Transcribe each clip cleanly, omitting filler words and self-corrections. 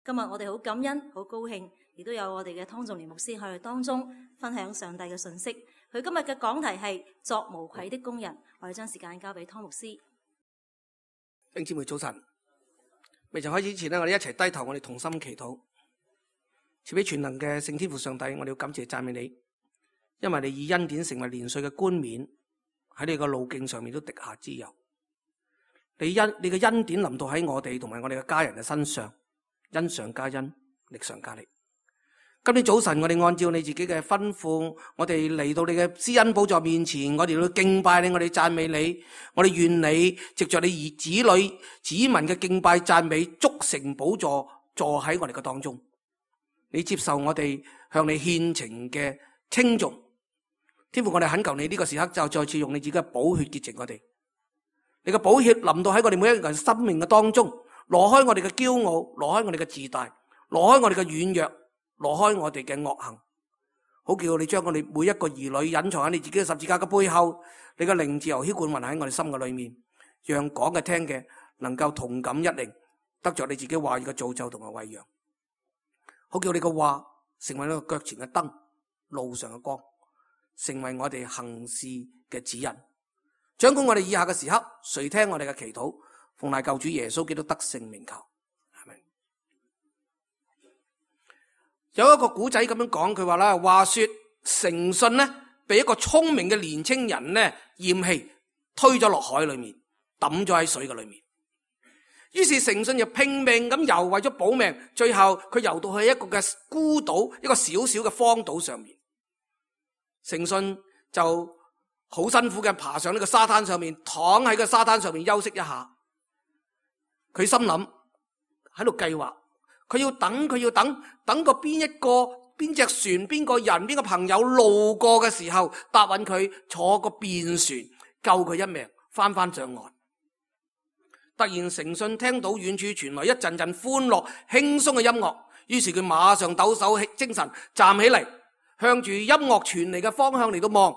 今日我哋好感恩、好高興，亦都有我哋嘅湯仲年牧師喺我哋當中分享上帝嘅信息。佢今日嘅講題係作無愧的工人。我哋將時間交俾湯牧師。弟兄姊妹早晨，未曾開始之前呢，我哋一齊低頭，我哋同心祈禱。賜俾全能嘅聖天父上帝，我哋要感謝讚美你，因為你以恩典成為年歲嘅冠冕，喺你個路徑上面都滴下脂油。你嘅恩典臨到喺我哋同埋我哋嘅家人嘅身上，恩上加恩，力上加力。今天早晨我哋按照你自己嘅吩咐，我哋嚟到你嘅施恩寶座面前，我哋要敬拜你，我哋讚美你，我哋願你藉着你兒子女子民嘅敬拜讚美，築成寶座坐喺我哋嘅當中。你接受我哋向你獻情嘅稱頌。天父，我哋懇求你呢個時刻就再次用你自己嘅寶血潔淨我哋。你嘅寶血臨到喺我哋每一個人生命嘅當中，挪開我哋嘅驕傲，挪開我哋嘅自大，挪開我哋嘅軟弱，挪開我哋嘅惡行，好叫你將我哋每一個兒女隱藏喺你自己嘅十字架嘅背後，你嘅靈自由澆灌喺我哋心嘅裏面，讓講嘅聽嘅能夠同感一靈，得着你自己話語嘅造就同埋餵養，好叫你嘅話成為一個腳前嘅燈，路上嘅光，成為我哋行事嘅指引。掌管我哋以下嘅時刻，垂聽我哋嘅祈禱，奉賴救主耶穌基督得勝名求，係咪？有一個古仔咁樣講，佢話啦，話說誠信呢，被一個聰明嘅年青人呢厭棄，推咗落海裏面，抌咗喺水嘅裏面。於是誠信就拼命咁游，為咗保命，最後佢游到去一個嘅孤島，一個小小嘅荒島上面。誠信就好辛苦嘅爬上呢個沙灘上面，躺喺個沙灘上面休息一下。佢心諗喺度計劃，佢要等個邊隻船、邊個人、邊個朋友路過嘅時候，答應佢坐個便船救佢一命，翻上岸。突然誠信聽到遠處傳來一陣陣歡樂輕鬆嘅音樂，於是佢馬上抖擻精神，站起嚟，向住音樂傳嚟嘅方向嚟到望。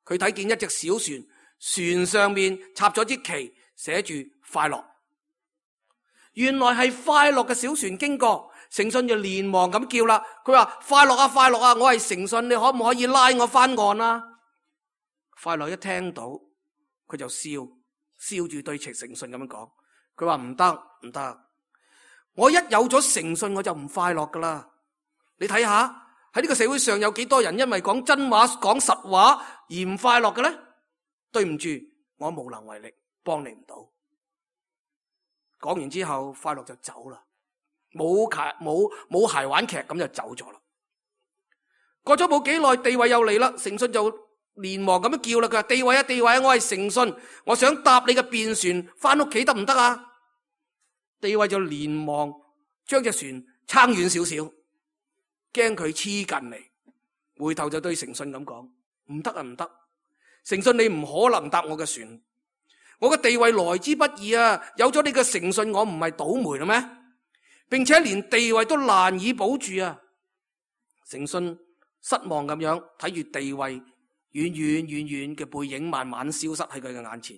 佢睇見一隻小船，船上面插咗支旗，寫住快樂。原來係快樂嘅小船經過，誠信就連忙咁叫啦。佢話：快樂啊，快樂啊，我係誠信，你可唔可以拉我翻岸啊？快樂一聽到，佢就笑住對誠信咁樣講。佢話：唔得，我一有咗誠信我就唔快樂噶啦。你睇下喺呢個社會上有幾多人因為講真話、講實話而唔快樂嘅呢？對唔住，我無能為力，幫你唔到。講完之後，快樂就走啦，冇鞋玩劇咁就走咗啦。過咗冇幾耐，地位又嚟啦，誠信就連忙咁樣叫啦。佢話：地位啊，地位啊，我係誠信，我想搭你嘅便船翻屋企得唔得啊？地位就連忙將隻船撐遠少少，驚佢黐近嚟，回頭就對誠信咁講：唔得啊，唔得！誠信，你唔可能搭我嘅船，我嘅地位來之不易啊！有咗你嘅誠信，我唔係倒霉啦咩？並且連地位都難以保住啊！誠信失望咁樣睇住地位遠嘅背影慢慢消失喺佢嘅眼前，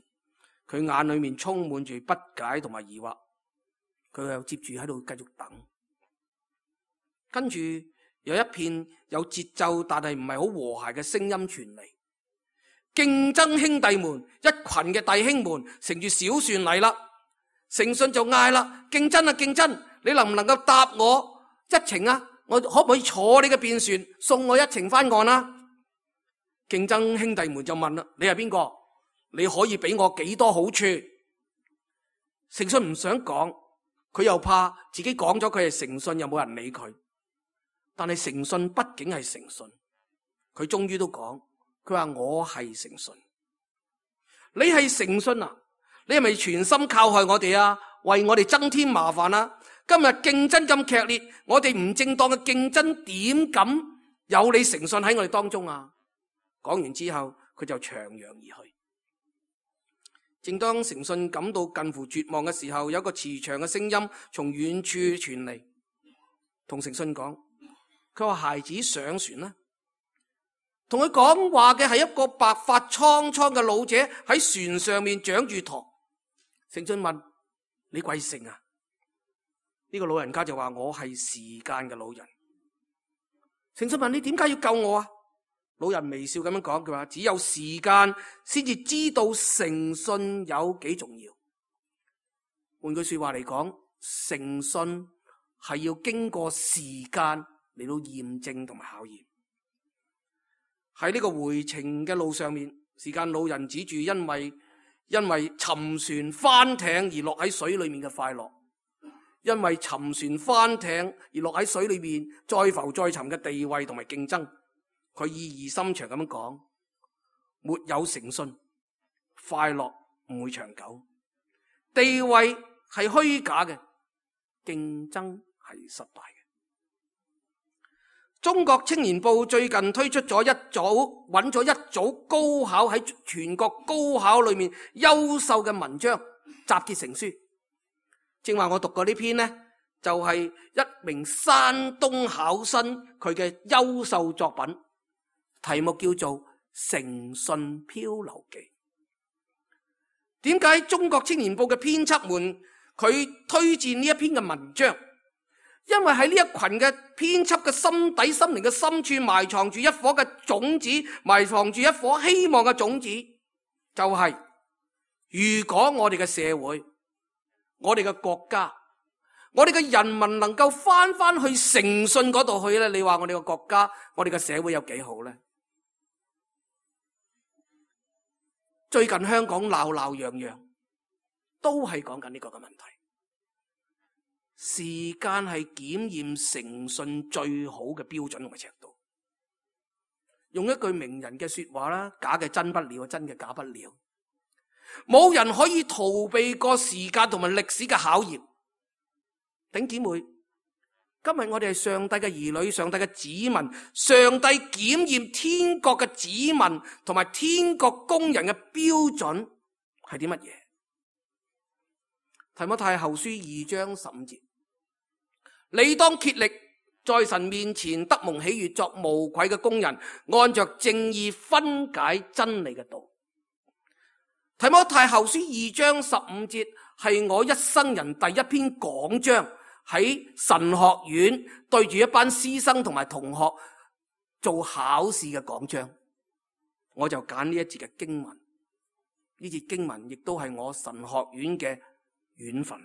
佢眼裏面充滿住不解同埋疑惑，佢又接住喺度繼續等，跟住有一片有節奏但係唔係好和諧嘅聲音傳嚟。競爭兄弟們，一群嘅弟兄們乘住小船嚟啦。誠信就嗌啦：競爭啊，競爭！你能唔能夠搭我一程啊？我可唔可以坐你嘅便船送我一程翻岸啊？競爭兄弟們就問啦：你係邊個？你可以俾我幾多好處？誠信唔想講，佢又怕自己講咗佢係誠信，又冇人理佢。但係誠信畢竟係誠信，佢終於都講。佢話：我係誠信，你係誠信啊？你係咪全心靠害我哋啊？為我哋增添麻煩啊？今日競爭咁劇烈，我哋唔正當嘅競爭點敢有你誠信喺我哋當中啊？講完之後，佢就長揚而去。正當誠信感到近乎絕望嘅時候，有一個慈祥嘅聲音從遠處傳嚟，同誠信講：佢話孩子上船啦。同佢講話嘅係一個白髮蒼蒼嘅老者，喺船上面掌住舵。誠信問：你貴姓啊？呢個老人家就話：我係時間嘅老人。誠信問：你點解要救我啊？老人微笑咁樣講，佢話：只有時間先至知道誠信有幾重要。換句說話嚟講，誠信係要經過時間嚟到驗證同埋考驗。喺呢個回程嘅路上面，時間老人指住因為沉船翻艇而落喺水裏面嘅快樂，因為沉船翻艇而落喺水裏面再浮再沉嘅地位同埋競爭，佢意義深長咁樣講：沒有誠信，快樂唔會長久，地位係虛假嘅，競爭係失敗嘅。中國青年報最近推出咗揾咗一組高考喺全國高考裏面優秀嘅文章集結成書。正話我讀過呢篇呢，就係一名山東考生佢嘅優秀作品，題目叫做《誠信漂流記》。點解中國青年報嘅編輯們佢推薦呢一篇嘅文章？因為喺呢一群嘅編輯嘅心底心靈嘅深處埋藏住一顆嘅種子，埋藏住一顆希望嘅種子，就係如果我哋嘅社會、我哋嘅國家、我哋嘅人民能夠翻去誠信嗰度去咧，你話我哋嘅國家、我哋嘅社會有幾好咧？最近香港鬧鬧嚷嚷，都係講緊呢個嘅問題。時間係檢驗誠信最好嘅標準同埋尺度。用一句名人嘅說話啦，假嘅真不了，真嘅假不了。冇人可以逃避過時間同埋歷史嘅考驗。頂姊妹，今日我哋係上帝嘅兒女，上帝嘅子民，上帝檢驗天國嘅子民同埋天國工人嘅標準係啲乜嘢？提摩太後書2章15節，你當竭力在神面前得蒙喜悅，作無愧嘅工人，按着正義分解真理嘅道。提摩太後書2章15節係我一生人第一篇講章，喺神學院對住一班師生同埋同學做考試嘅講章，我就揀呢一節嘅經文。呢節經文亦都係我神學院嘅院訓。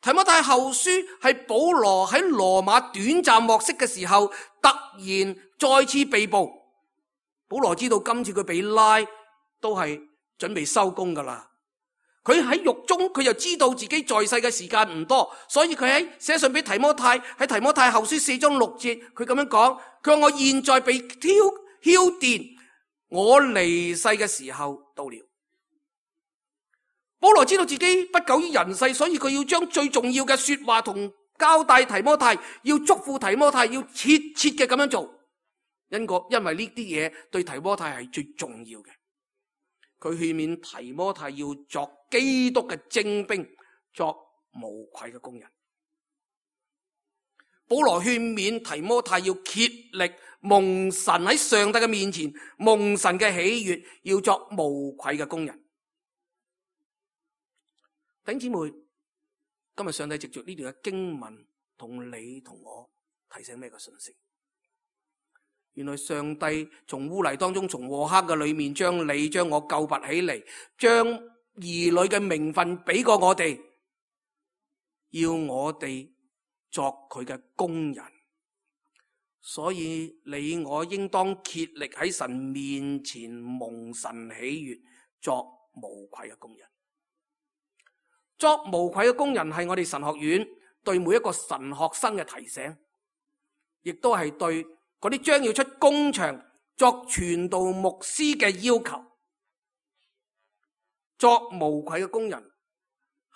提摩太後書係保羅喺羅馬短暫獲釋嘅時候，突然再次被捕。保羅知道今次佢被拉都係準備收工噶啦。佢喺獄中，佢又知道自己在世嘅時間唔多，所以佢喺寫信俾提摩太，喺提摩太後書4章6節，佢咁樣講：佢話我現在被澆奠，我離世嘅時候到了。保羅知道自己不久於人世，所以佢要將最重要嘅說話同交代提摩太，要囑咐提摩太，要切切嘅咁樣做。因為呢啲嘢對提摩太係最重要嘅。佢勸勉提摩太要作基督嘅精兵，作無愧嘅工人。保羅勸勉提摩太要竭力蒙神喺上帝嘅面前，蒙神嘅喜悅，要作無愧嘅工人。弟兄姊妹，今日上帝藉着呢段嘅經文同你同我提醒咩嘅信息？原來上帝從污泥當中，從禍黑嘅裏面，將你將我救拔起嚟，將兒女嘅名分俾過我哋，要我哋作佢嘅工人。所以你我應當竭力喺神面前蒙神喜悅，作無愧嘅工人。作無愧嘅工人係我哋神學院對每一個神學生嘅提醒，亦都係對嗰啲將要出工場作傳道牧師嘅要求。作無愧嘅工人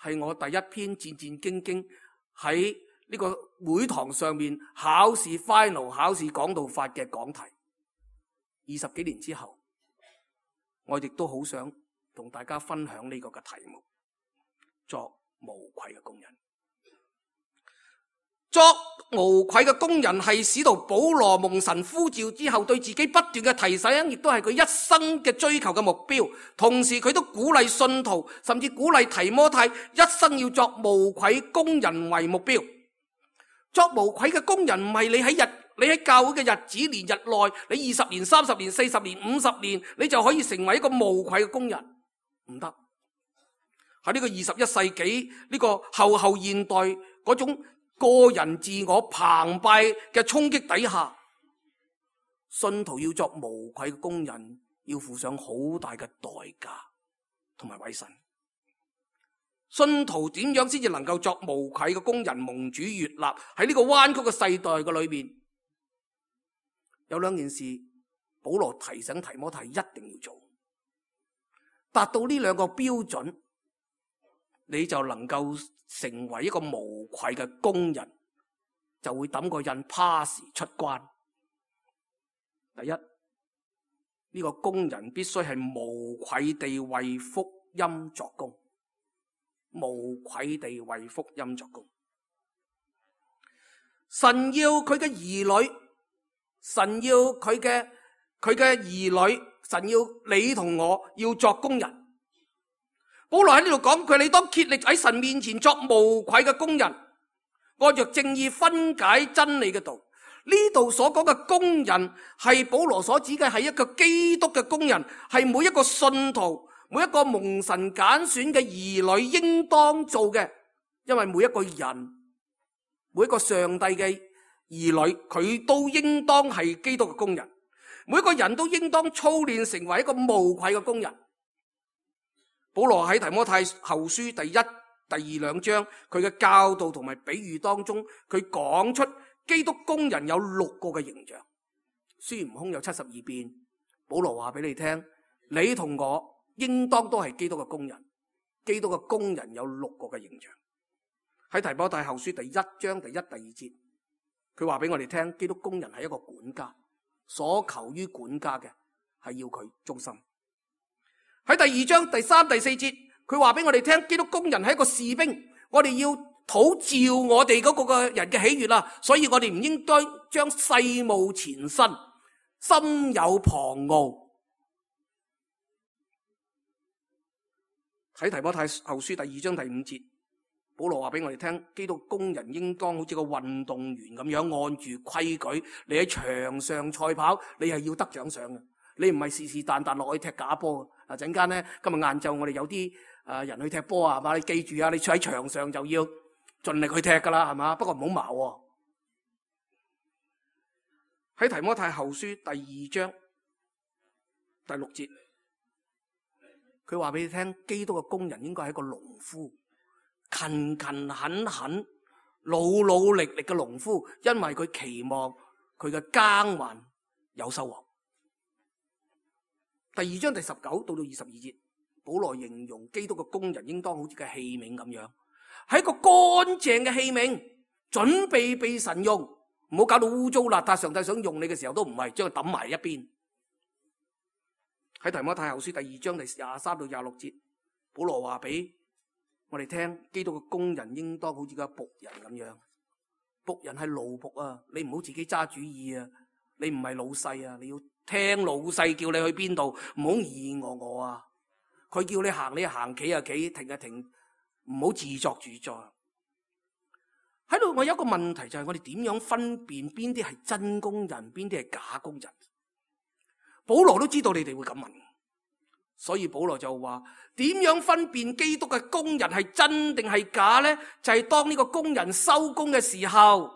係我第一篇戰戰兢兢喺呢個會堂上面考試 final 考試講道法嘅講題。20幾年之後，我亦都好想同大家分享呢個嘅題目。作無愧嘅工人，作無愧嘅工人係使徒保羅蒙神呼召之後對自己不斷嘅提醒，亦都係佢一生嘅追求嘅目標。同時佢都鼓勵信徒，甚至鼓勵提摩太一生要作無愧工人為目標。作無愧嘅工人唔係你喺教會嘅日子年日內，你20年、30年、40年、50年，你就可以成為一個無愧嘅工人，唔得。喺呢個21世紀呢個後現代嗰種個人自我澎湃嘅衝擊底下，信徒要作無愧嘅工人，要付上好大嘅代價同埋委身。信徒點樣先至能夠作無愧嘅工人，蒙主悅納？喺呢個彎曲嘅世代嘅裏面，有兩件事保羅提醒提摩太一定要做，達到呢兩個標準，你就能夠成為一個無愧嘅工人，就會抌個印 pass 出關。第一，呢個工人必須係無愧地為福音作工，無愧地為福音作工。神要佢嘅兒女，神要佢嘅兒女，神要你同我要作工人。保羅喺呢度講佢，你當竭力喺神面前作無愧嘅工人，按着正義分解真理嘅道。呢度所講嘅工人係保羅所指嘅係一個基督嘅工人，係每一個信徒，每一個蒙神揀選嘅兒女應當做嘅。因為每一個人，每一個上帝嘅兒女，佢都應當係基督嘅工人。每一個人都應當操練成為一個無愧嘅工人。保羅喺提摩太後書第1、第2兩章，佢嘅教導同埋比喻當中，佢講出基督工人有6個嘅形象。孫悟空有72變，保羅話俾你聽，你同我應當都係基督嘅工人。基督嘅工人有6個嘅形象。喺提摩太後書第1章第1、第2節，佢話俾我哋聽，基督工人係一個管家，所求於管家嘅係要佢忠心。喺第2章第3、第4節，佢話俾我哋聽，基督工人係一個士兵，我哋要討照我哋嗰個人嘅喜悅啦，所以我哋唔應該將世務纏身，心有旁騖。喺提摩太後書第2章第5節，保羅話俾我哋聽，基督工人應當好似個運動員咁樣，按住規矩，你喺場上賽跑，你係要得獎賞嘅，你唔係是但但落去踢假波。陣間咧，今日晏晝我哋有啲人去踢波啊，係嘛？你記住啊，你坐喺場上就要盡力去踢噶啦，係嘛？不過唔好矛喎。喺提摩太後書第2章第6節，佢話俾你聽，基督嘅工人應該係一個農夫，勤勤懇懇、努努力力嘅農夫，因為佢期望佢嘅耕耘有收穫。第2章第19到22節，保羅形容基督嘅工人應當好似個器皿咁樣，係一個乾淨嘅器皿，準備被神用，唔好搞到污糟邋遢。上帝想用你嘅時候都唔係，將佢抌埋一邊。喺提摩太後書第2章第23到26節，保羅話俾我哋聽，基督嘅工人應當好似個僕人咁樣。僕人係奴僕啊，你唔好自己揸主意啊，你唔係老細啊，你要聽老細叫你去邊度，唔好疑我啊！佢叫你行，你行；企啊企，停啊停，唔好自作主張。喺度，我有一個問題，就係我哋點樣分辨邊啲係真工人，邊啲係假工人？保羅都知道你哋會咁問，所以保羅就話：點樣分辨基督嘅工人係真定係假呢？就係當呢個工人收工嘅時候，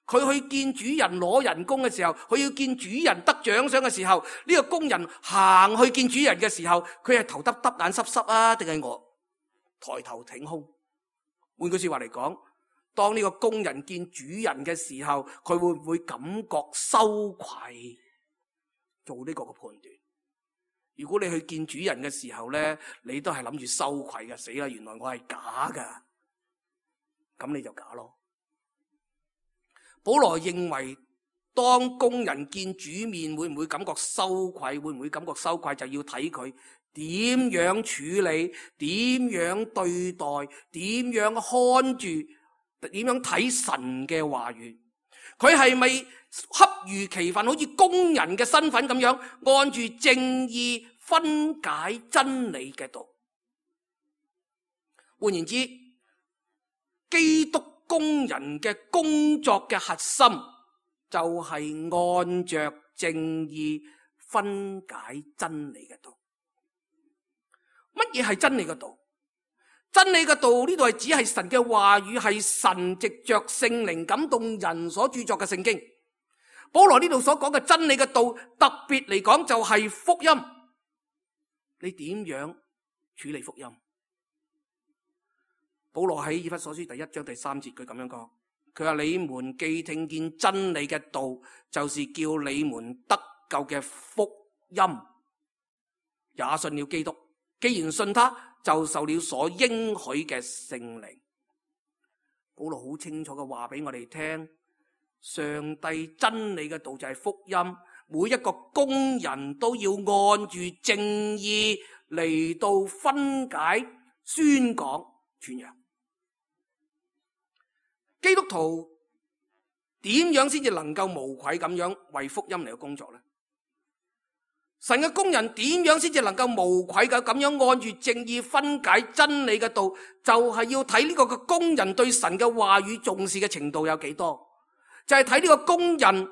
佢去見主人攞人工嘅時候，佢要見主人得獎賞嘅時候，呢個工人行去見主人嘅時候，佢係頭耷耷眼濕濕啊，定係我抬頭挺胸？換句說話嚟講，當呢個工人見主人嘅時候，佢會唔會感覺羞愧？做呢個嘅判斷。如果你去見主人嘅時候咧，你都係諗住羞愧嘅，死啦！原來我係假噶，咁你就假咯。保羅認為，當工人見主面，會唔會感覺羞愧？會唔會感覺羞愧？就要睇佢點樣處理，點樣對待，點樣看住，點樣睇神嘅話語。佢係咪恰如其分，好似工人嘅身份咁樣，按住正義分解真理嘅道？換言之，基督工人嘅工作嘅核心就係按着正義分解真理嘅道。乜嘢係真理嘅道？真理嘅道呢度係指係神嘅話語，係神藉着聖靈感動人所著作嘅聖經。保羅呢度所講嘅真理嘅道，特別嚟講就係福音。你點樣處理福音？保羅喺以弗所書第1章第3節佢咁樣講，佢話你們既聽見真理嘅道，就是叫你們得救嘅福音，也信了基督。既然信他，就受了所應許嘅聖靈。保羅好清楚嘅話俾我哋聽，上帝真理嘅道就係福音，每一個工人都要按住正義嚟到分解、宣講、傳揚。基督徒點樣先至能夠無愧咁樣為福音嚟到工作呢？神嘅工人點樣先至能夠無愧嘅咁樣按住正義分解真理嘅道？就係要睇呢個嘅工人對神嘅話語重視嘅程度有幾多，就係睇呢個工人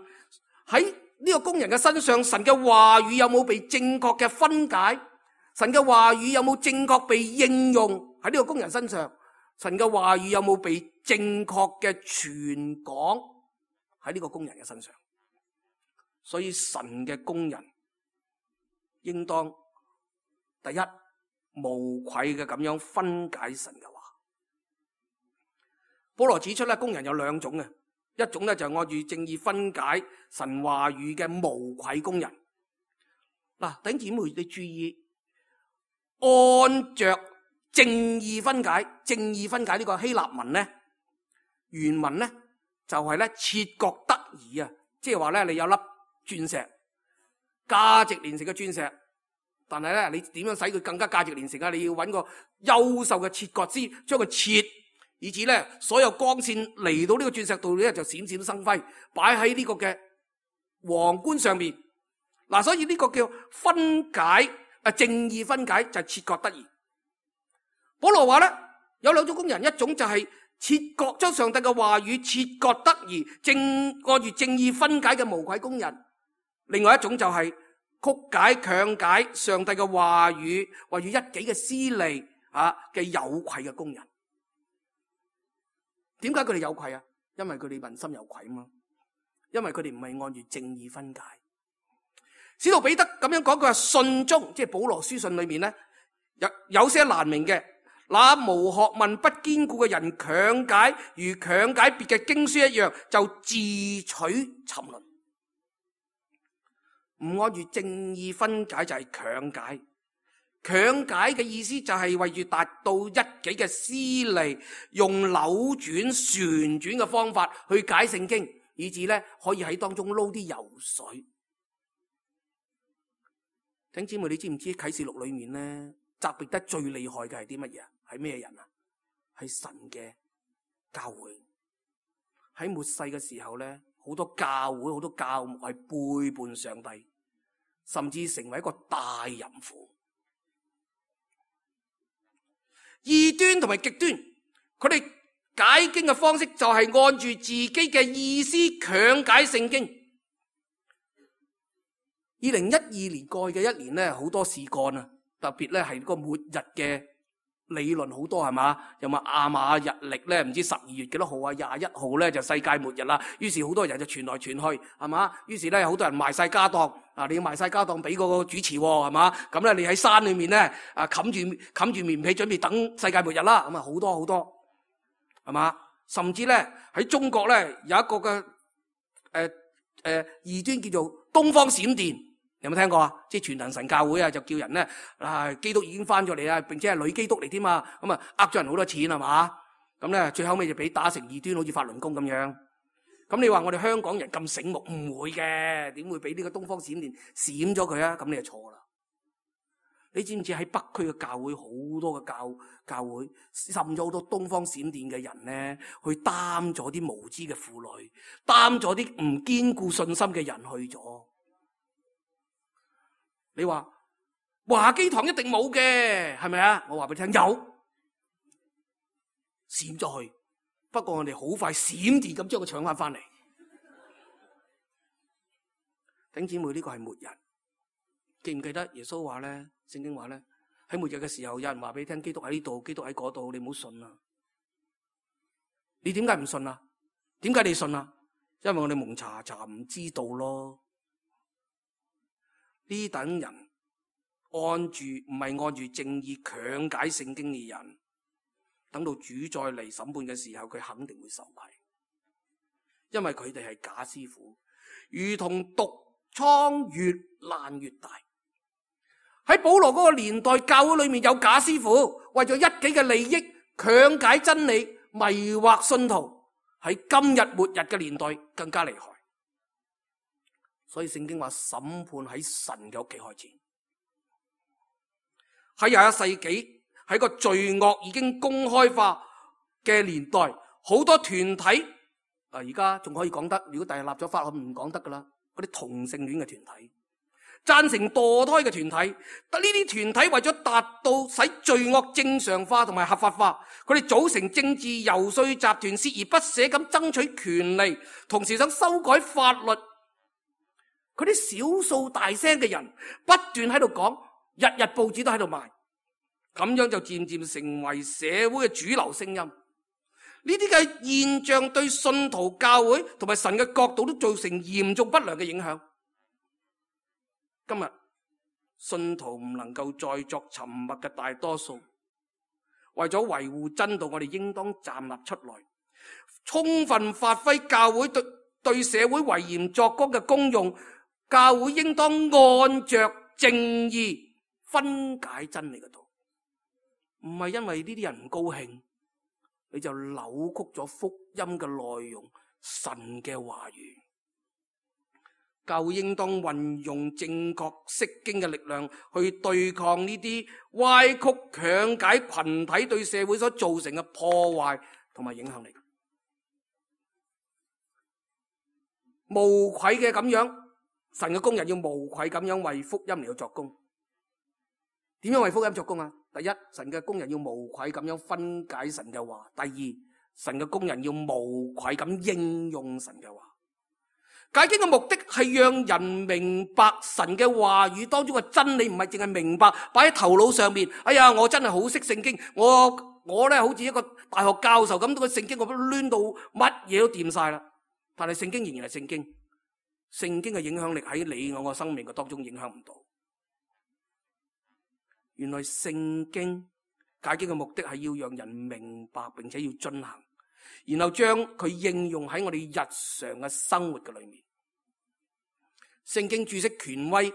喺呢個工人嘅身上，神嘅話語有冇被正確嘅分解，神嘅話語有冇正確被應用喺呢個工人身上，神嘅話語有冇被正確嘅傳講喺呢個工人嘅身上。所以神嘅工人應當第一無愧嘅咁樣分解神嘅話。保羅指出咧，工人有兩種嘅，一種咧就係按住正義分解神話語嘅無愧工人。嗱，弟兄姊妹你注意，按着正義分解呢個希臘文咧，原文咧就係咧切割得宜啊，即係話咧你有粒鑽石，價值連城嘅鑽石，但係咧你點樣使佢更加價值連城啊？你要揾個優秀嘅切割師將佢切，以至咧所有光線嚟到呢個鑽石度咧就閃閃生輝，擺喺呢個嘅皇冠上面。嗱，所以呢個叫分解正義分解就係切割得宜。保羅話咧有兩種工人，一種就係切割將上帝嘅話語切割得宜，按住正義分解嘅無愧工人；另外一種就係曲解強解上帝嘅話語，為咗一己嘅私利嘅有愧嘅工人。點解佢哋有愧啊？因為佢哋問心有愧嘛，因為佢哋唔係按住正義分解。使徒彼得咁樣講，佢話信中，即係保羅書信裏面咧有些難明嘅，那無學問不堅固嘅人強解，如強解別嘅經書一樣，就自取沉淪。唔按住正義分解就係強解，強解嘅意思就係為住達到一己嘅私利，用扭轉旋轉嘅方法去解聖經，以至咧可以喺當中撈啲油水。弟兄姊妹，你知唔知啟示錄裏面咧責備得最厲害嘅係啲乜嘢？係咩人啊？係神嘅教會。喺末世嘅時候咧，好多教會、好多教牧係背叛上帝，甚至成為一個大淫婦。異端同埋極端，佢哋解經嘅方式就係按住自己嘅意思強解聖經。2012年過去嘅一年咧，好多事幹啊，特別咧係個末日嘅理論好多係嘛？有冇亞馬日曆咧？唔知12月幾多號啊？21號咧就世界末日啦。於是好多人就傳來傳去係嘛？於是咧好多人賣晒家當啊！你要賣晒家當俾嗰個主持係嘛？咁咧你喺山裏面咧冚住棉被準備等世界末日啦。咁啊好多係嘛？甚至咧喺中國咧有一個嘅異端叫做東方閃電。有冇聽過啊？即係全能神教會啊，就叫人咧基督已經翻咗嚟啦，並且係女基督嚟添嘛，咁啊呃咗人好多錢係嘛？咁咧最後尾就俾打成異端，好似法輪功咁樣。咁你話我哋香港人咁醒目，唔會嘅，點會俾呢個東方閃電閃咗佢啊？咁你就錯啦。你知唔知喺北區嘅教會好多嘅教會滲咗好多東方閃電嘅人咧，去擔咗啲無知嘅婦女，擔咗啲唔堅固信心嘅人去咗。你話華基堂一定冇嘅，係咪啊？我話俾你聽，有閃咗去，不過我哋好快閃電咁將佢搶翻嚟。弟兄姊妹，呢個係末日。記唔記得耶穌話咧？聖經話咧，喺末日嘅時候，有人話俾你聽，基督喺呢度，基督喺嗰度，你唔好信啊！你點解唔信啊？點解你信啊？因為我哋蒙查唔知道咯。呢等人唔係按住正義強解聖經嘅人，等到主再嚟審判嘅時候，佢肯定會受虧，因為佢哋係假師傅，如同毒瘡越爛越大。喺保羅嗰個年代，教會裏面有假師傅，為咗一己嘅利益強解真理，迷惑信徒。喺今日末日嘅年代更加厲害，所以聖經話審判喺神嘅屋企開始。喺21世紀，喺個罪惡已經公開化嘅年代，好多團體而家仲可以講得，如果第日立咗法，我唔講得噶啦。嗰啲同性戀嘅團體，贊成墮胎嘅團體，但呢啲團體為咗達到使罪惡正常化同埋合法化，佢哋組成政治遊說集團，鍥而不捨咁爭取權利，同時想修改法律。佢啲少數大聲嘅人不斷喺度講，日日報紙都喺度賣，咁樣就漸漸成為社會嘅主流聲音。呢啲嘅現象對信徒教會同埋神嘅角度都造成嚴重不良嘅影響。今日信徒唔能夠再作沉默嘅大多數，為咗維護真道，我哋應當站立出來，充分發揮教會對社會為鹽作光嘅功用。教會應當按着正義分解真理嘅道，唔係因為呢啲人唔高興，你就扭曲咗福音嘅內容，神嘅話語。教會應當運用正確釋經嘅力量去對抗呢啲歪曲強解群體對社會所造成嘅破壞同埋影響力。無愧嘅咁樣，神嘅工人要無愧咁樣為福音嚟到作工。點樣為福音作工啊？第一，神嘅工人要無愧咁樣分解神嘅話；第二，神嘅工人要無愧咁應用神嘅話。解經嘅目的係讓人明白神嘅話語當中嘅真理，唔係淨係明白擺喺頭腦上面。哎呀，我真係好識聖經，我咧好似一個大學教授咁，個聖經我都攣到乜嘢都掂晒啦。但係聖經仍然係聖經，聖經嘅影響力喺你我嘅生命嘅當中影響唔到。原來聖經解經嘅目的係要讓人明白，並且要遵行，然後將佢應用喺我哋日常嘅生活嘅裏面。聖經注釋權威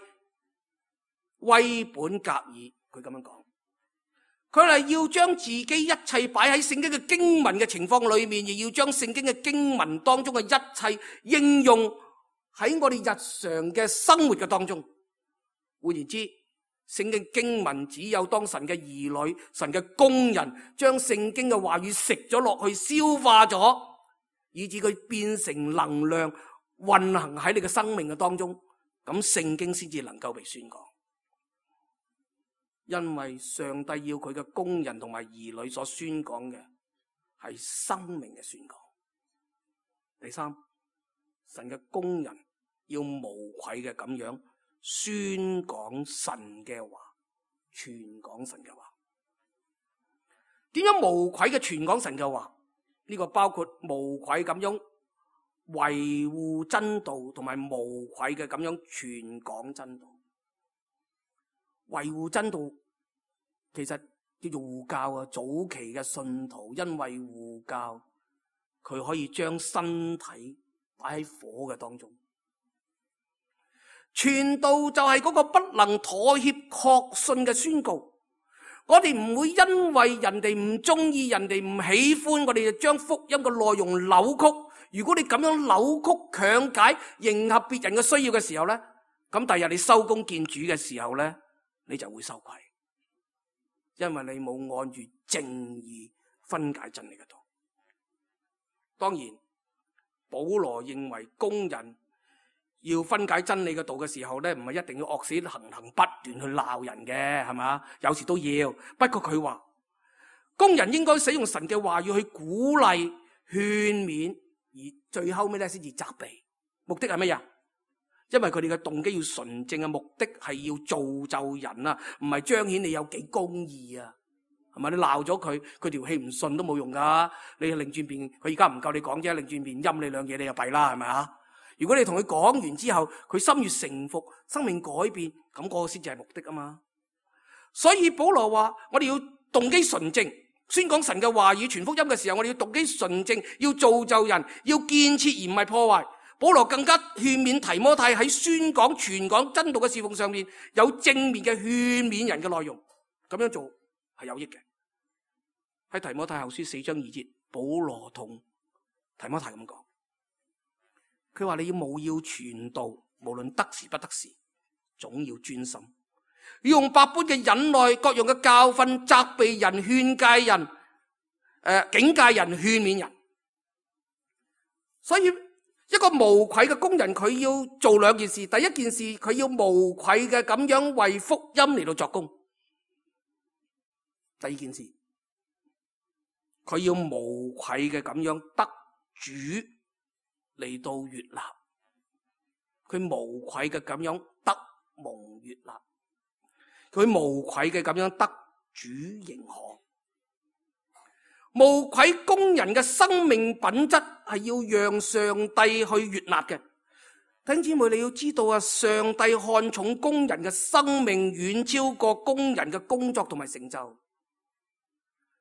威本格爾佢咁樣講，佢係要將自己一切擺喺聖經嘅經文嘅情況裏面，亦要將聖經嘅經文當中嘅一切應用喺我哋日常嘅生活嘅當中。換言之，聖經經文只有當神嘅兒女、神嘅工人將聖經嘅話語食咗落去、消化咗，以致佢變成能量運行喺你嘅生命嘅當中，咁聖經先至能夠被宣講。因為上帝要佢嘅工人同埋兒女所宣講嘅係生命嘅宣講。第三，神嘅工人要無愧嘅咁樣宣講神嘅話，傳講神嘅話。點樣無愧嘅傳講神嘅話？呢個包括無愧咁樣維護真道，同埋無愧嘅咁樣傳講真道。維護真道其實叫做護教啊。早期嘅信徒因為護教，佢可以將身體擺喺火嘅當中。傳道就係嗰個不能妥協確信嘅宣告。我哋唔會因為人哋唔中意、人哋唔喜歡，我哋就將福音嘅內容扭曲。如果你咁樣扭曲、強解、迎合別人嘅需要嘅時候咧，咁第日你收工見主嘅時候咧，你就會羞愧。因為你冇按住正義分解真理嘅道。當然，保羅認為工人要分解真理嘅道嘅時候咧，唔係一定要惡死行不斷去鬧人嘅，係嘛？有時都要。不過佢話，工人應該使用神嘅話語去鼓勵、勸勉，而最後尾咧先至責備。目的係乜嘢？因為佢哋嘅動機要純正嘅，目的係要造就人啊，唔係彰顯你有幾公義啊。係咪？你鬧咗佢，佢條氣唔順都冇用噶。你擰轉面，佢而家唔夠你講啫，擰轉面陰你兩嘢，你就弊啦，係咪啊？如果你同佢講完之後，佢心悅誠服，生命改變，咁嗰個先至係目的啊嘛。所以保羅話：我哋要動機純正，宣講神嘅話語、傳福音嘅時候，我哋要動機純正，要造就人，要建設而唔係破壞。保羅更加勸勉提摩太喺宣講、傳講真道嘅侍奉上面有正面嘅勸勉人嘅內容，咁樣做係有益嘅。喺提摩太後書4章2節，保羅同提摩太咁講，佢話你要務要傳道，無論得時不得時，總要專心，要用百般嘅忍耐、各樣嘅教訓、責備人、勸誡人、警戒人、勸勉人。所以一個無愧嘅工人，佢要做兩件事。第一件事，佢要無愧嘅咁樣為福音嚟到作工。第二件事，佢要無愧嘅咁樣得主嚟到悅納，佢無愧嘅咁樣得蒙悅納，佢無愧嘅咁樣得主認可。無愧工人嘅生命品質係要讓上帝去悅納嘅。弟兄姊妹，你要知道啊，上帝看重工人嘅生命遠超過工人嘅工作同埋成就。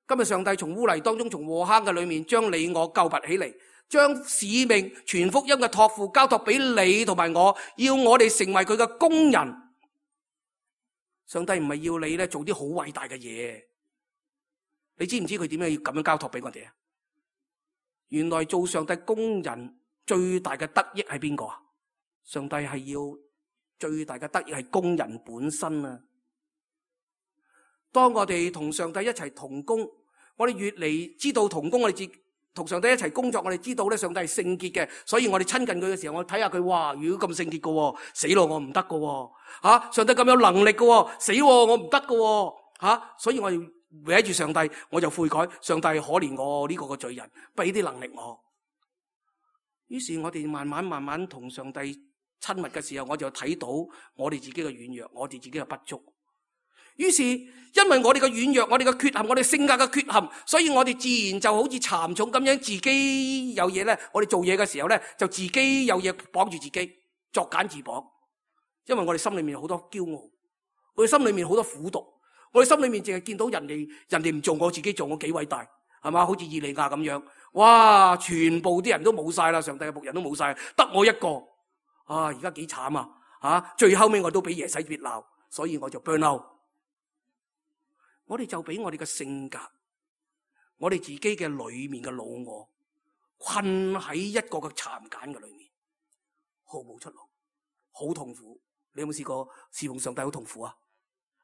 今日上帝從污泥當中，從禍坑嘅裏面，將你我救拔起嚟，將使命傳福音嘅託付交託俾你同埋我，要我哋成為佢嘅工人。上帝唔係要你咧做啲好偉大嘅嘢，你知唔知佢點解要咁樣交託俾我哋啊？原來做上帝工人最大嘅得益係邊個啊？上帝係要最大嘅得益係工人本身啊！當我哋同上帝一齊同工，我哋越嚟知道同工，我哋同上帝一齊工作，我哋知道咧上帝係聖潔嘅，所以我哋親近佢嘅時候，我睇下佢，哇！如果咁聖潔嘅，死咯，我唔得嘅，吓！上帝咁有能力嘅，死我唔得嘅，吓！所以我哋圍住上帝，我就悔改，上帝可憐我呢個嘅罪人，俾啲能力我。於是我哋慢慢同上帝親密嘅時候，我就睇到我哋自己嘅軟弱，我哋自己嘅不足。於是因為我哋嘅軟弱，我哋嘅缺陷，我哋性格嘅缺陷，所以我哋自然就好似蠶蟲咁樣，自己有嘢咧，我哋做嘢嘅時候咧，就自己有嘢綁住自己，作繭自綁。因為我哋心裏面有好多驕傲，我哋心裏面好多苦毒，我哋心裏面淨係見到人哋唔做，我自己做，我幾偉大，係嘛？好似以利亞咁樣，哇！全部啲人都冇晒啦，上帝嘅僕人都冇晒，得我一個啊！而家幾慘啊！吓，最後尾我都俾耶洗別鬧，所以我就 burn out。我哋就俾我哋嘅性格，我哋自己嘅裏面嘅老我困喺一個嘅蠶繭嘅裏面，毫無出路，好痛苦。你有冇試過侍奉上帝好痛苦啊？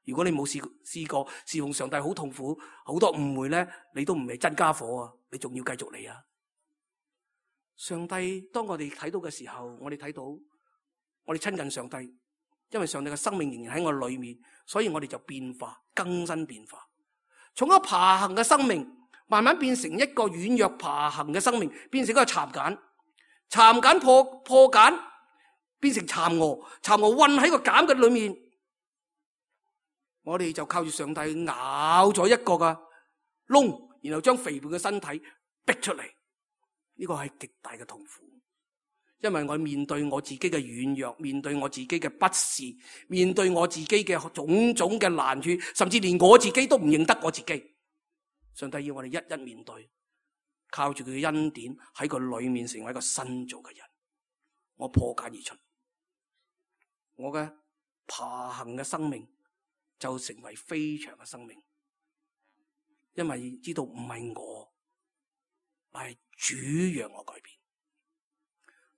如果你冇試過侍奉上帝好痛苦，好多誤會咧，你都唔係真家伙啊！你仲要繼續嚟啊？上帝當我哋睇到嘅時候，我哋睇到我哋親近上帝，因為上帝嘅生命仍然喺我裏面，所以我哋就變化、更新變化，從一個爬行嘅生命慢慢變成一個軟弱爬行嘅生命，變成一個蠶繭，蠶繭破繭變成蠶蛾，蠶蛾困喺個繭嘅裏面，我哋就靠住上帝咬咗一個嘅窿，然後將肥胖嘅身體逼出嚟，呢個係極大嘅痛苦。因為我面對我自己嘅軟弱，面對我自己嘅不是，面對我自己嘅種種嘅難處，甚至連我自己都唔認得我自己。上帝要我哋一一面對，靠住佢嘅恩典喺佢裏面成為一個新造嘅人。我破繭而出，我嘅爬行嘅生命就成為飛翔嘅生命，因為知道唔係我，係主讓我改變。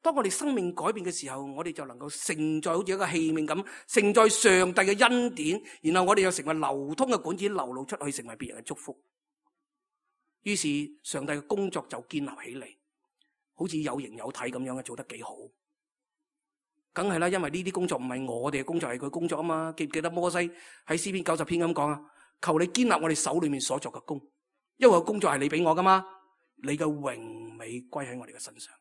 當我哋生命改變嘅時候，我哋就能夠承載好似一個器皿咁，承載上帝嘅恩典，然後我哋又成為流通嘅管子，流露出去，成為別人嘅祝福。於是上帝嘅工作就建立起嚟，好似有形有體咁樣嘅，做得幾好。梗係啦，因為呢啲工作唔係我哋嘅工作，係佢工作啊嘛。記唔記得摩西喺詩篇90篇咁講啊？求你堅立我哋手裏面所作嘅工，因為個工作係你俾我噶嘛，你嘅榮美歸喺我哋嘅身上。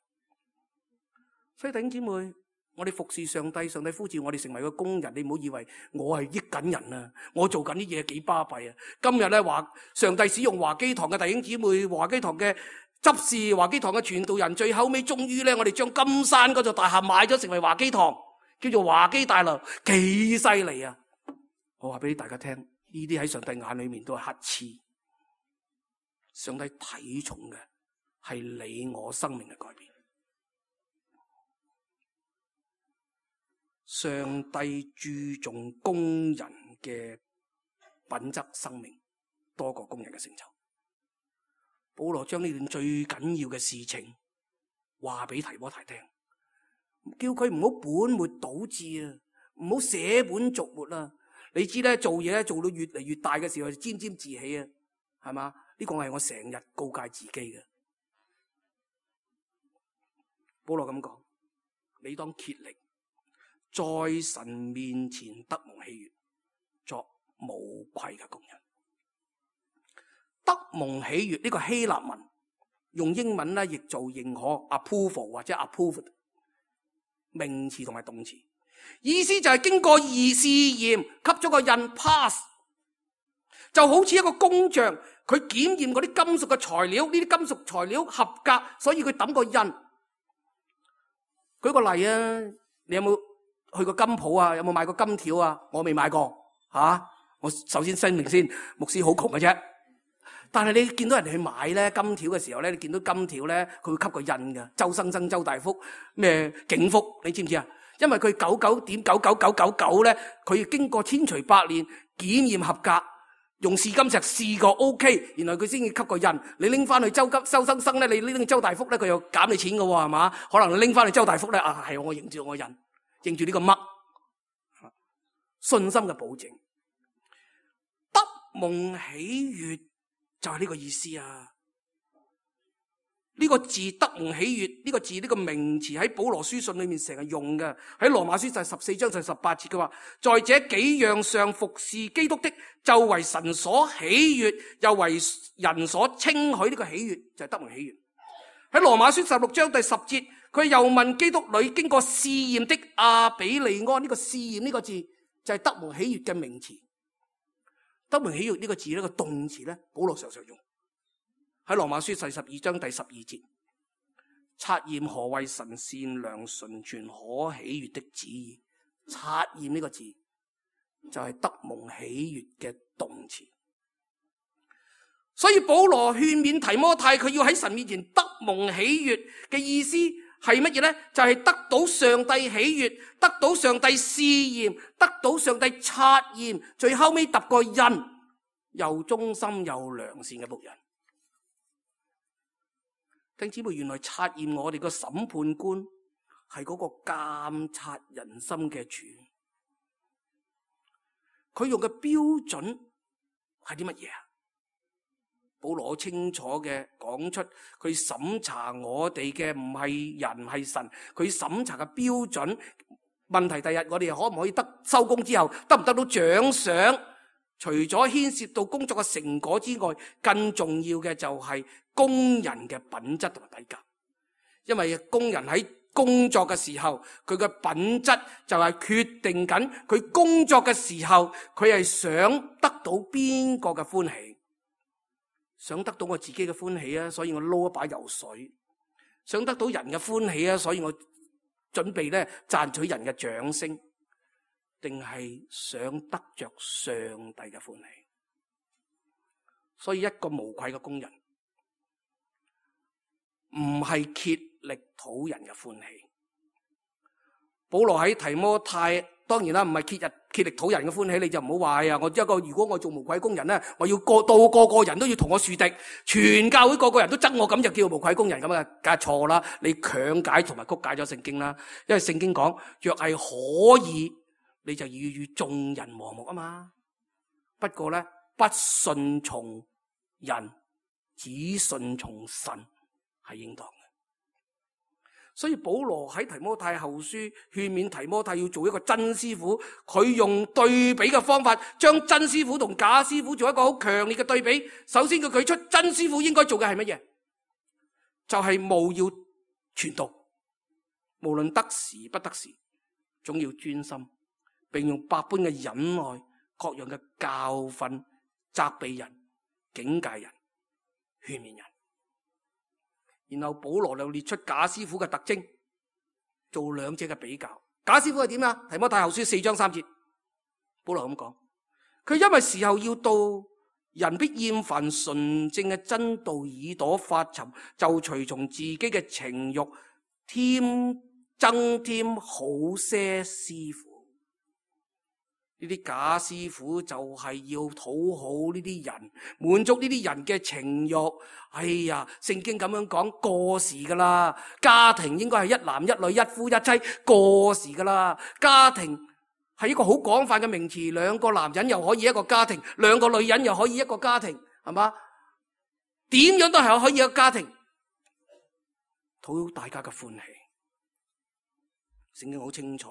所以弟兄姊妹，我哋服侍上帝，上帝呼召我哋成為個工人，你唔好以為我係益緊人啊，我做緊啲嘢幾巴閉啊。今日咧話上帝使用華基堂嘅弟兄姊妹，華基堂嘅執事，華基堂嘅傳道人，最後尾終於咧我哋將金山嗰座大廈買咗，成為華基堂，叫做華基大樓，幾犀利啊！我話俾大家聽，呢啲喺上帝眼裏面都係乞嗤。上帝睇重嘅係你我生命嘅改變。上帝注重工人嘅品質生命多過工人嘅成就。保羅將呢段最緊要嘅事情話俾提摩太聽，叫佢唔好本末倒置啊，唔好捨本逐末啊。你知咧，做嘢做到越嚟越大嘅時候，就沾沾自喜啊，係嘛？呢個係我成日告誡自己嘅。保羅咁講，你當竭力在神面前得蒙喜悅，作無愧嘅工人。得蒙喜悅呢個希臘文用英文咧譯做認可 approval 或者 approved 名詞同埋動詞，意思就係經過試驗，給咗個印 pass， 就好似一個工匠佢檢驗嗰啲金屬嘅材料，呢啲金屬材料合格，所以佢抌個印。舉個例啊，你有冇去過金鋪啊？有冇買過金條啊？我未買過吓。我首先聲明先，牧師好窮嘅啫。但係你見到人哋去買咧金條嘅時候咧，你見到金條咧，佢會吸個印嘅，周生生、周大福、咩景福，你知唔知啊？因為佢99.99999咧，佢經過千錘百煉檢驗合格，用試金石試過 OK， 然後佢先至吸個印。你拎翻去周生生咧，你拎去周大福咧，佢又減你錢嘅喎，係嘛？可能你拎翻去周大福咧，係我認住我印，認住呢個乜信心嘅保證，得蒙喜悅。就係呢個意思啊！呢個字得蒙喜悅，呢個字呢個名詞喺保羅書信裏面成日用嘅，喺羅馬書就係14章就係18節嘅話，在這幾樣上服侍基督的，就為神所喜悅，又為人所稱許。呢個喜悅就係得蒙喜悅。喺羅馬書16章第10節，佢又問基督裏經過試驗的阿比利安，呢個試驗呢個字就係得蒙喜悅嘅名詞。得蒙喜悅呢個字呢個動詞咧，保羅常常用喺羅馬書12章第12節，察驗何為神善良純全可喜悅的旨意。察驗呢個字就係得蒙喜悅嘅動詞。所以保羅勸勉提摩太，佢要喺神面前得蒙喜悅嘅意思係乜嘢咧？就係得到上帝喜悅，得到上帝試驗，得到上帝察驗，最後尾揼個印，又忠心又良善嘅僕人。弟兄姊妹，原來察驗我哋個審判官係嗰個監察人心嘅主，佢用嘅標準係啲乜嘢啊？保羅好清楚嘅講出，佢審查我哋嘅唔係人係神，佢審查嘅標準問題。第日我哋可唔可以收工之後得唔得到獎賞？除咗牽涉到工作嘅成果之外，更重要嘅就係工人嘅品質同埋底格。因為工人喺工作嘅時候，佢嘅品質就係決定緊佢工作嘅時候，佢係想得到邊個嘅歡喜。想得到我自己嘅歡喜啊，所以我撈一把油水；想得到人嘅歡喜啊，所以我準備咧賺取人嘅掌聲，定係想得着上帝嘅歡喜？所以一個無愧嘅工人，唔係竭力討人嘅歡喜。保羅喺提摩太當然啦，唔係竭力討人嘅歡喜，你就唔好話呀。如果我做無愧工人咧，我要個個人都要同我樹敵，全教會個個人都憎我，咁就叫無愧工人咁啊，梗係錯啦！你強解同埋曲解咗聖經啦，因為聖經講若係可以，你就要與眾人和睦啊嘛。不過咧，不順從人，只順從神係應當。所以保羅喺提摩太後書勸勉提摩太要做一個真師傅，佢用對比嘅方法，將真師傅同假師傅做一個好強烈嘅對比。首先佢舉出真師傅應該做嘅係乜嘢？就係務要傳道，無論得時不得時，總要專心，並用百般嘅忍耐、各樣嘅教訓、責備人、警戒人、勸勉人。然後保羅又列出假師傅嘅特徵，做兩者嘅比較。假師傅係點啊？提摩太後書4章3節，保羅咁講，佢因為時候要到，人必厭煩純正嘅真道，耳朵發沉，就隨從自己嘅情慾，增添好些師傅。呢啲假師傅就係要討好呢啲人，滿足呢啲人嘅情慾。哎呀，聖經咁樣講過時噶啦，家庭應該係一男一女，一夫一妻，過時噶啦。家庭係一個好廣泛嘅名詞，兩個男人又可以一個家庭，兩個女人又可以一個家庭，係嘛？點樣都係可以一個家庭，討好大家嘅歡喜。聖經好清楚，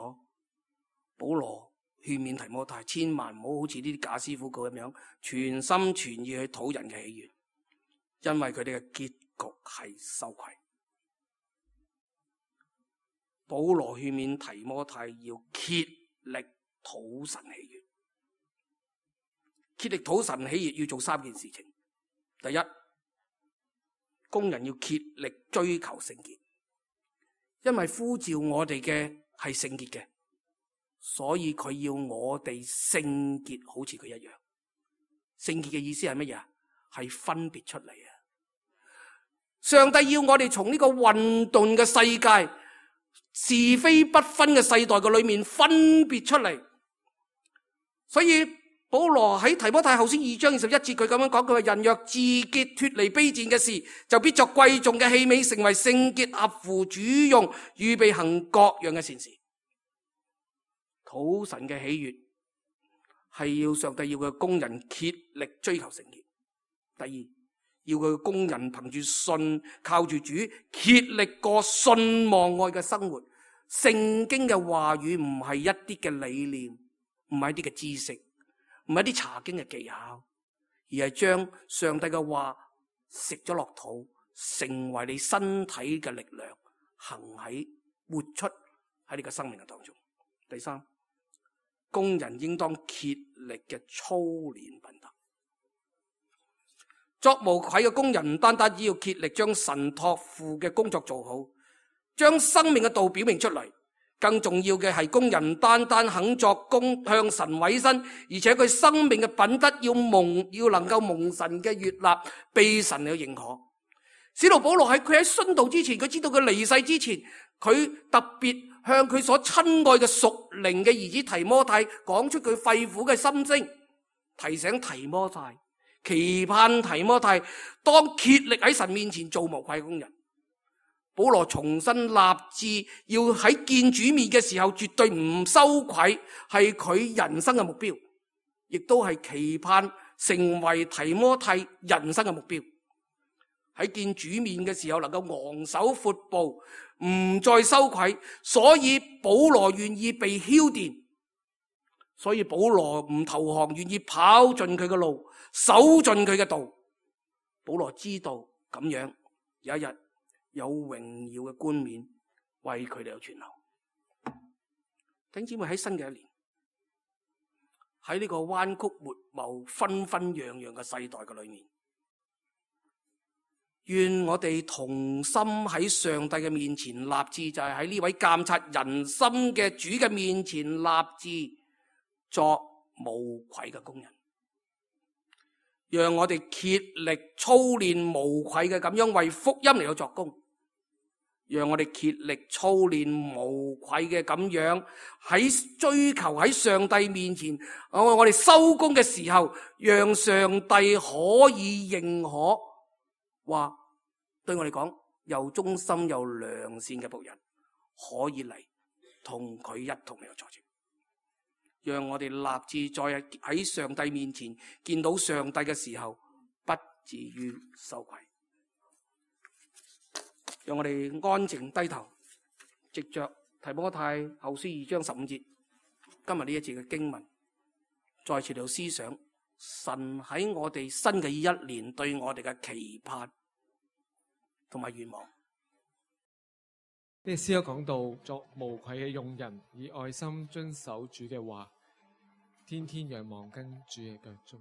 保羅勸勉提摩太，千萬唔好好似呢啲假師傅咁樣，全心全意去討人嘅喜悅，因為佢哋嘅結局係羞愧。保羅勸勉提摩太要竭力討神喜悅，竭力討神喜悅要做3件事情。第一，工人要竭力追求聖潔，因為呼召我哋嘅係聖潔嘅。所以佢要我哋聖潔，好似佢一樣。聖潔嘅意思係乜嘢？係分別出嚟啊！上帝要我哋從呢個混沌嘅世界、是非不分嘅世代嘅裏面分別出嚟。所以保羅喺提摩太後書2章21節，佢咁樣講，佢話：人若自潔脫離卑賤嘅事，就必作貴重嘅器皿，成為聖潔，合乎主用，預備行各樣嘅善事。討神嘅喜悅係要上帝要佢嘅工人竭力追求聖潔。第二，要佢嘅工人憑住信，靠住主，竭力過信望愛嘅生活。聖經嘅話語唔係一啲嘅理念，唔係一啲嘅知識，唔係一啲查經嘅技巧，而係將上帝嘅話食咗落肚，成為你身體嘅力量，活出喺你嘅生命嘅當中。第三，工人應當竭力嘅操練品德。作無愧嘅工人唔單單只要竭力將神託付嘅工作做好，將生命嘅道表明出嚟，更重要嘅係工人唔單單肯作工向神委身，而且佢生命嘅品德要能夠蒙神嘅悅納，被神嘅認可。使徒保羅佢喺殉道之前，佢知道佢離世之前，佢特別向佢所親愛嘅屬靈嘅兒子提摩太講出佢肺腑嘅心聲，提醒提摩太，期盼提摩太當竭力喺神面前做無愧工人。保羅重新立志要喺見主面嘅時候絕對唔羞愧，係佢人生嘅目標，亦都係期盼成為提摩太人生嘅目標。喺見主面嘅時候能夠昂首闊步，唔再羞愧，所以保羅願意被澆奠，所以保羅唔投降，願意跑盡佢嘅路，守盡佢嘅道。保羅知道咁樣有一日有榮耀嘅冠冕為佢哋有存留。弟兄姊妹，喺新嘅一年，喺呢個彎曲悖謬、紛紛揚揚嘅世代嘅裏面，願我哋同心喺上帝嘅面前立志，就係喺呢位監察人心嘅主嘅面前立志作無愧嘅工人。讓我哋竭力操練無愧嘅咁樣為福音嚟到作工，讓我哋竭力操練無愧嘅咁樣喺追求喺上帝面前，我哋收工嘅時候，讓上帝可以認可，話對我哋講又忠心又良善嘅僕人，可以嚟同佢一同嚟坐席。讓我哋立志在喺上帝面前見到上帝嘅時候，不至於羞愧。讓我哋安靜低頭，藉着提摩太後書2章15節，今日呢一節嘅經文，再次嚟到思想神喺我哋新嘅一年對我哋嘅期盼同埋願望。呢個詩歌講到作無愧嘅用人，以愛心遵守主嘅話，天天仰望跟主嘅腳蹤。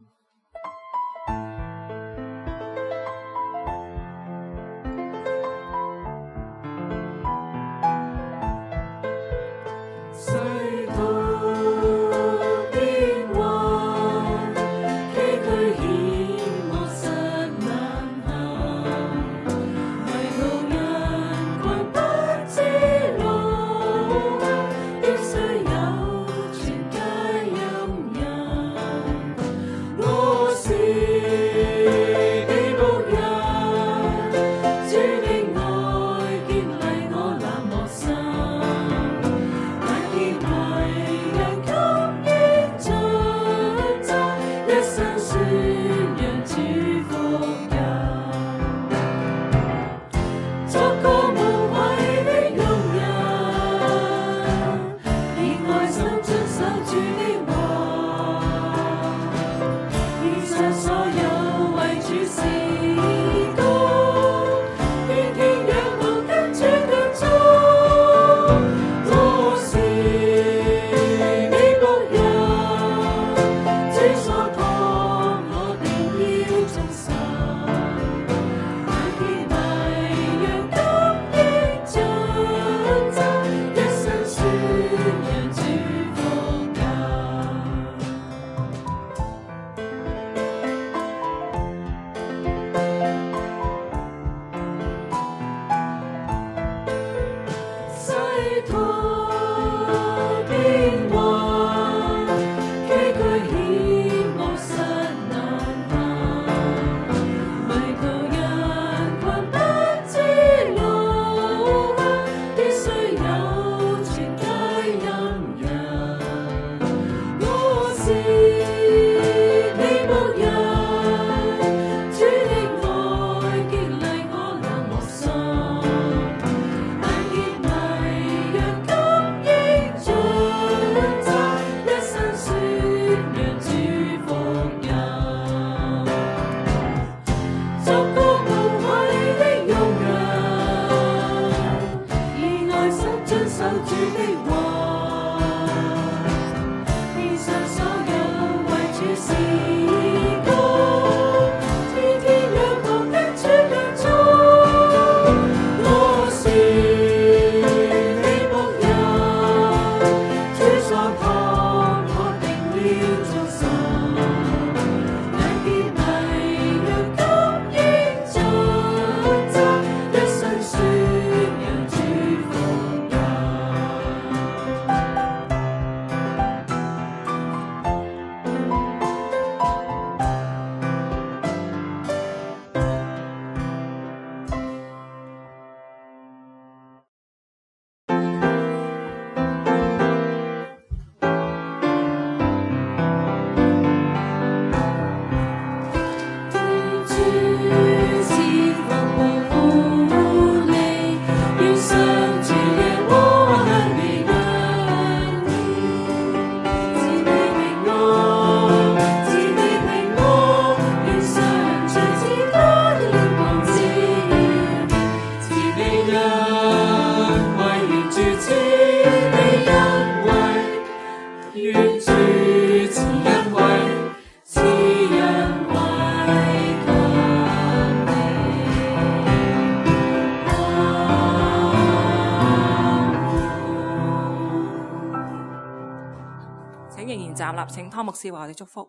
站立，請湯牧師話我哋祝福。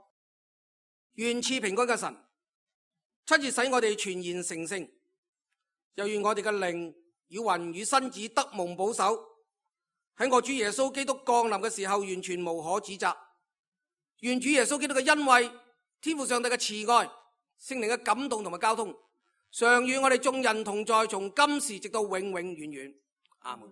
願賜平安嘅神親自使我哋全然成聖，又願我哋嘅靈與魂與身子得蒙保守，喺我主耶穌基督降臨嘅時候完全無可指責。願主耶穌基督嘅恩惠、天父上帝嘅慈愛、聖靈嘅感動同埋交通，常與我哋眾人同在，從今時直到永永遠遠。阿門。